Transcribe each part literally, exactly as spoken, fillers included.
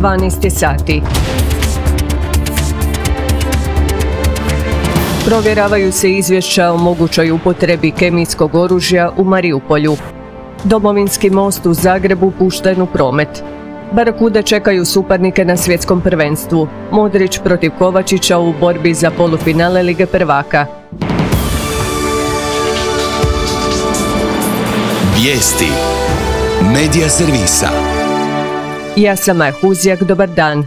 dvanaest sati. Provjeravaju se izvješća o mogućoj upotrebi kemijskog oružja u Mariupolju. Domovinski most u Zagrebu pušten u promet. Barakude čekaju suparnike na svjetskom prvenstvu. Modrić protiv Kovačića u borbi za polufinale Lige prvaka. Vijesti Medija servisa. Ja sam Maja Huzjak, dobar dan.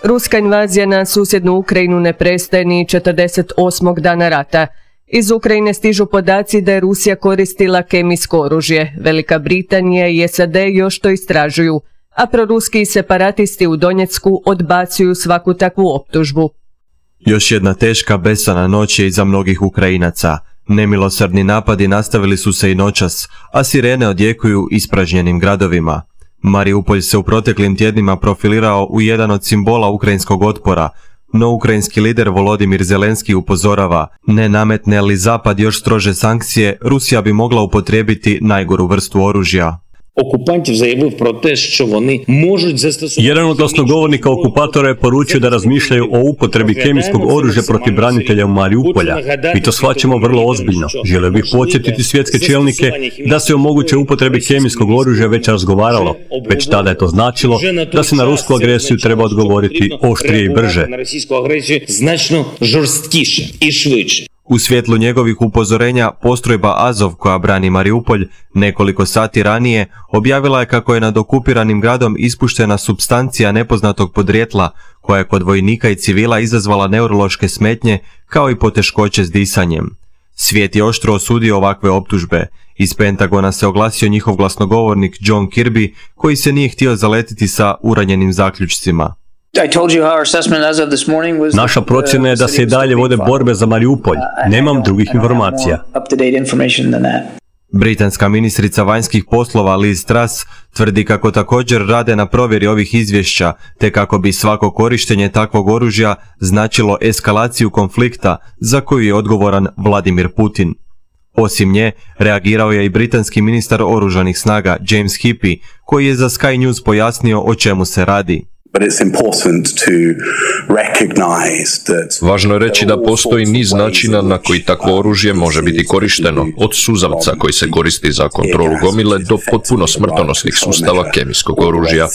Ruska invazija na susjednu Ukrajinu ne prestaje ni četrdeset osmog dana rata. Iz Ukrajine stižu podaci da je Rusija koristila kemijsko oružje. Velika Britanija i S A D još to istražuju, a proruski separatisti u Donjecku odbacuju svaku takvu optužbu. Još jedna teška besana noć je iza mnogih Ukrajinaca. Nemilosrdni napadi nastavili su se i noćas, a sirene odjekuju ispražnjenim gradovima. Mariupolj se u proteklim tjednima profilirao u jedan od simbola ukrajinskog otpora, no ukrajinski lider Volodimir Zelenski upozorava, ne nametne li Zapad još strože sankcije, Rusija bi mogla upotrijebiti najgoru vrstu oružja. Окупантів заявив про те, що вони можуть застосувати... Jedan od glasnogovornika okupatora je poručio da razmišljaju o upotrebi kemijskog oružja protiv branitelja u Mariupolja. Mi to shvaćamo vrlo ozbiljno. Želio bih podsjetiti svjetske čelnike da se o mogućoj upotrebi kemijskog oružja već razgovaralo. Već tada je to značilo da se na rusku agresiju treba odgovoriti oštrije i brže. Na rosійську агресію значно жорсткіше і швидше. U svjetlu njegovih upozorenja, postrojba Azov koja brani Mariupolj nekoliko sati ranije objavila je kako je nad okupiranim gradom ispuštena supstancija nepoznatog podrijetla koja je kod vojnika i civila izazvala neurološke smetnje kao i poteškoće s disanjem. Svijet je oštro osudio ovakve optužbe. Iz Pentagona se oglasio njihov glasnogovornik John Kirby koji se nije htio zaletiti sa uranjenim zaključcima. Naša procjena je da se i dalje vode borbe za Mariupolj. Nemam drugih informacija. Britanska ministrica vanjskih poslova Liz Truss tvrdi kako također rade na provjeri ovih izvješća, te kako bi svako korištenje takvog oružja značilo eskalaciju konflikta za koju je odgovoran Vladimir Putin. Osim nje, reagirao je i britanski ministar oružanih snaga James Heappey, koji je za Sky News pojasnio o čemu se radi. Važno je reći da postoji niz načina na koji takvo oružje može biti korišteno, od suzavca koji se koristi za kontrolu gomile do potpuno smrtonosnih sustava kemijskog oružja.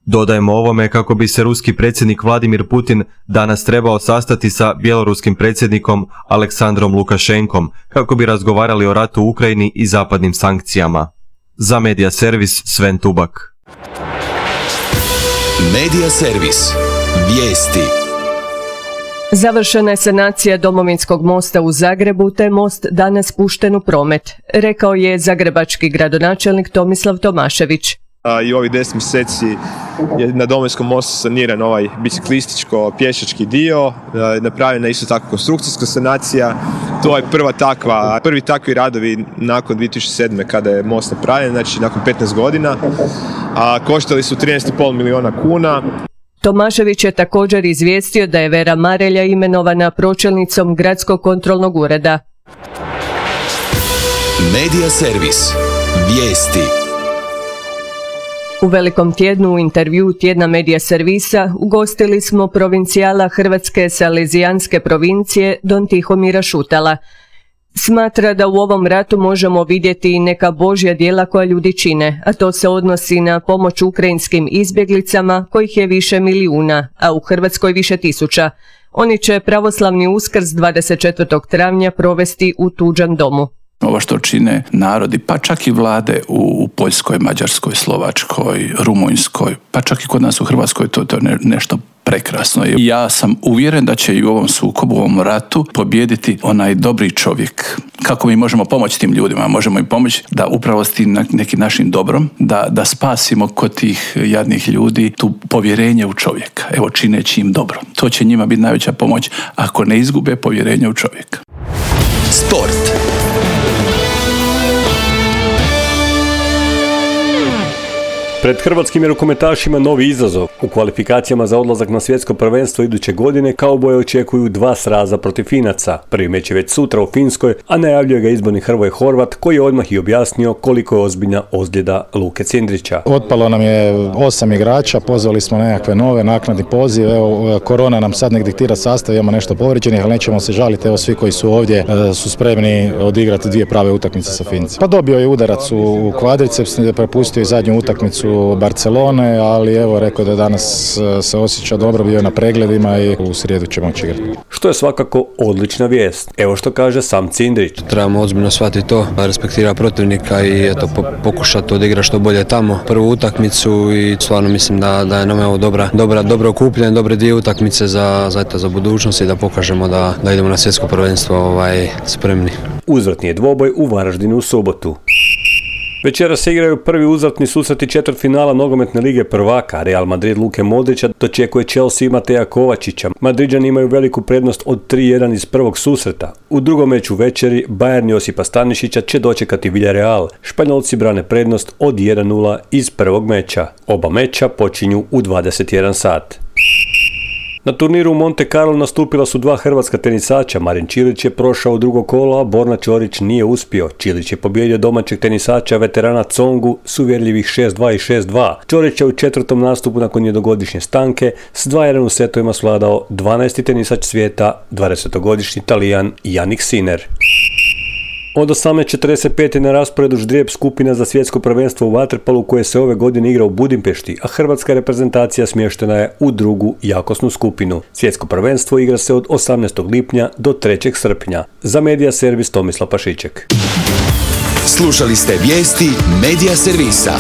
Dodajemo ovome kako bi se ruski predsjednik Vladimir Putin danas trebao sastati sa bjeloruskim predsjednikom Aleksandrom Lukašenkom kako bi razgovarali o ratu u Ukrajini i zapadnim sankcijama. Za Medija servis Sven Tubak. Medija servis. Vijesti. Završena je sanacija Domovinskog mosta u Zagrebu, te most danas pušten u promet, rekao je zagrebački gradonačelnik Tomislav Tomašević. I ovih deset mjeseci je na Domovinskom mostu saniran ovaj biciklističko-pješački dio, napravljena je isto tako konstrukcijska sanacija. To je prva takva, prvi takvi radovi nakon dvije tisuće sedme kada je most napravljen, znači nakon petnaest godina, a koštali su trinaest zarez pet milijuna kuna. Tomašević je također izvijestio da je Vera Marelja imenovana pročelnicom Gradskog kontrolnog ureda. Medija servis. Vijesti. U velikom tjednu u intervju tjedna Medija servisa ugostili smo provincijala Hrvatske salezijanske provincije Don Tihomira Šutala. Smatra da u ovom ratu možemo vidjeti i neka božja djela koja ljudi čine, a to se odnosi na pomoć ukrajinskim izbjeglicama kojih je više milijuna, a u Hrvatskoj više tisuća. Oni će pravoslavni Uskrs dvadeset četvrtog travnja provesti u tuđem domu. Ovo što čine narodi, pa čak i vlade u Poljskoj, Mađarskoj, Slovačkoj, Rumunjskoj, pa čak i kod nas u Hrvatskoj, to, to je nešto prekrasno. Ja sam uvjeren da će i u ovom sukobu, u ovom ratu pobijediti onaj dobri čovjek. Kako mi možemo pomoći tim ljudima? Možemo im pomoći da upravo s tim nekim našim dobrom, da, da spasimo kod tih jadnih ljudi tu povjerenje u čovjeka. Evo, čineći im dobro. To će njima biti najveća pomoć ako ne izgube povjerenje u čovjeka. Sport. Pred hrvatskim rukometašima novi izazov. U kvalifikacijama za odlazak na svjetsko prvenstvo iduće godine kauboje očekuju dva sraza protiv Finaca. Prvi meč je već sutra u Finskoj, a najavljuje ga izborni Hrvoje Horvat koji je odmah i objasnio koliko je ozbiljna ozljeda Luke Cindrića. Otpalo nam je osam igrača, pozvali smo nekakve nove naknadni poziv. Evo, korona nam sad nek diktira sastav, imamo nešto povrijeđenih, ali nećemo se žaliti. Evo, svi koji su ovdje su spremni odigrati dvije prave utakmice sa Fincima. Pa dobio je udarac u kvadriceps, prepustio je zadnju utakmicu Barcelone, ali evo rekao da danas se osjeća dobro, bio je na pregledima i u srijedu će moći igrati. Što je svakako odlična vijest. Evo što kaže sam Cindrić. Trebamo ozbiljno shvatiti to, respektira protivnika i eto po, pokušati odigrati što bolje tamo prvu utakmicu i stvarno mislim da, da je nam evo dobra, dobra, dobro okupljen, dobre dvije utakmice za, za, eto, za budućnost i da pokažemo da, da idemo na svjetsko prvenstvo ovaj, spremni. Uzvratni je dvoboj u Varaždinu u subotu. Večera se igraju prvi uzvratni susreti četvrtfinala nogometne lige prvaka. Real Madrid Luke Modrića dočekuje Chelsea Mateja Kovačića. Madriđani imaju veliku prednost od tri jedan iz prvog susreta. U drugom meču večeri Bayern Josipa Stanišića će dočekati Villarreal. Španjolci brane prednost od jedan nula iz prvog meča. Oba meča počinju u dvadeset jedan sat. Na turniru u Monte Carlo nastupila su dva hrvatska tenisača. Marin Čilić je prošao u drugo kolo, a Borna Ćorić nije uspio. Čilić je pobijedio domaćeg tenisača veterana Tsongu s uvjerljivih šest dva i šest dva. Ćorić je u četvrtom nastupu nakon jednogodišnje stanke s dva jedan u setovima svladao dvanaesti tenisač svijeta, dvadesetogodišnji Talijan Jannik Sinner. Od osamnaest četrdeset pet na rasporedu ždrijeb skupina za svjetsko prvenstvo u vaterpolu koje se ove godine igra u Budimpešti, a hrvatska reprezentacija smještena je u drugu jakosnu skupinu. Svjetsko prvenstvo igra se od osamnaestog lipnja do trećeg srpnja. Za Medija Servis Tomislav Pašiček. Slušali ste vijesti Medija Servisa.